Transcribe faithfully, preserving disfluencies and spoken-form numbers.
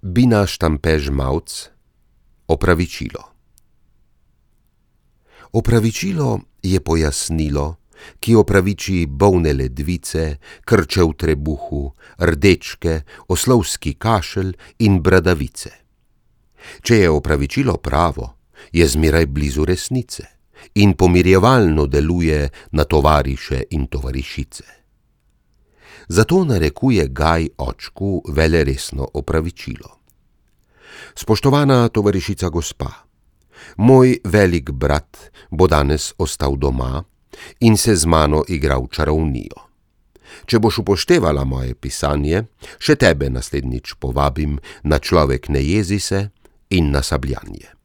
Bina Štampež-Mavc, opravičilo. Opravičilo je pojasnilo, ki opraviči bolne ledvice, krče v trebuhu, rdečke, oslovski kašelj in bradavice. Če je opravičilo pravo, je zmeraj blizu resnice in pomirjevalno deluje na tovariše in tovarišice. Zato narekuje Gaj očku veleresno opravičilo. Spoštovana tovarišica gospa, moj velik brat bo danes ostal doma in se z mano igral čarovnijo. Če boš upoštevala moje pisanje, še tebe naslednjič povabim na Človek ne jezi se in na sabljanje.